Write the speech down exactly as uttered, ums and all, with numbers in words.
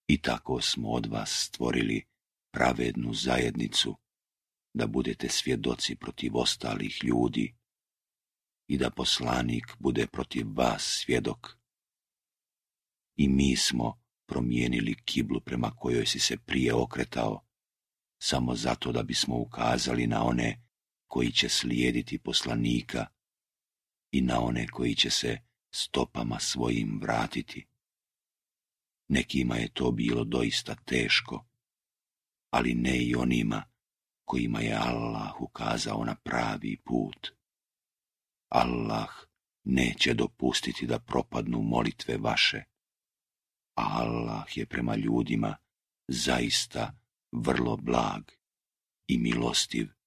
I tako smo od vas stvorili pravednu zajednicu, da budete svjedoci protiv ostalih ljudi i da poslanik bude protiv vas svjedok. I mi smo promijenili kiblu prema kojoj si se prije okretao, samo zato da bismo ukazali na one koji će slijediti poslanika i na one koji će se stopama svojim vratiti. Nekima je to bilo doista teško, ali ne i onima kojima je Allah ukazao na pravi put. Allah neće dopustiti da propadnu molitve vaše, a Allah je prema ljudima zaista vrlo blag i milostiv.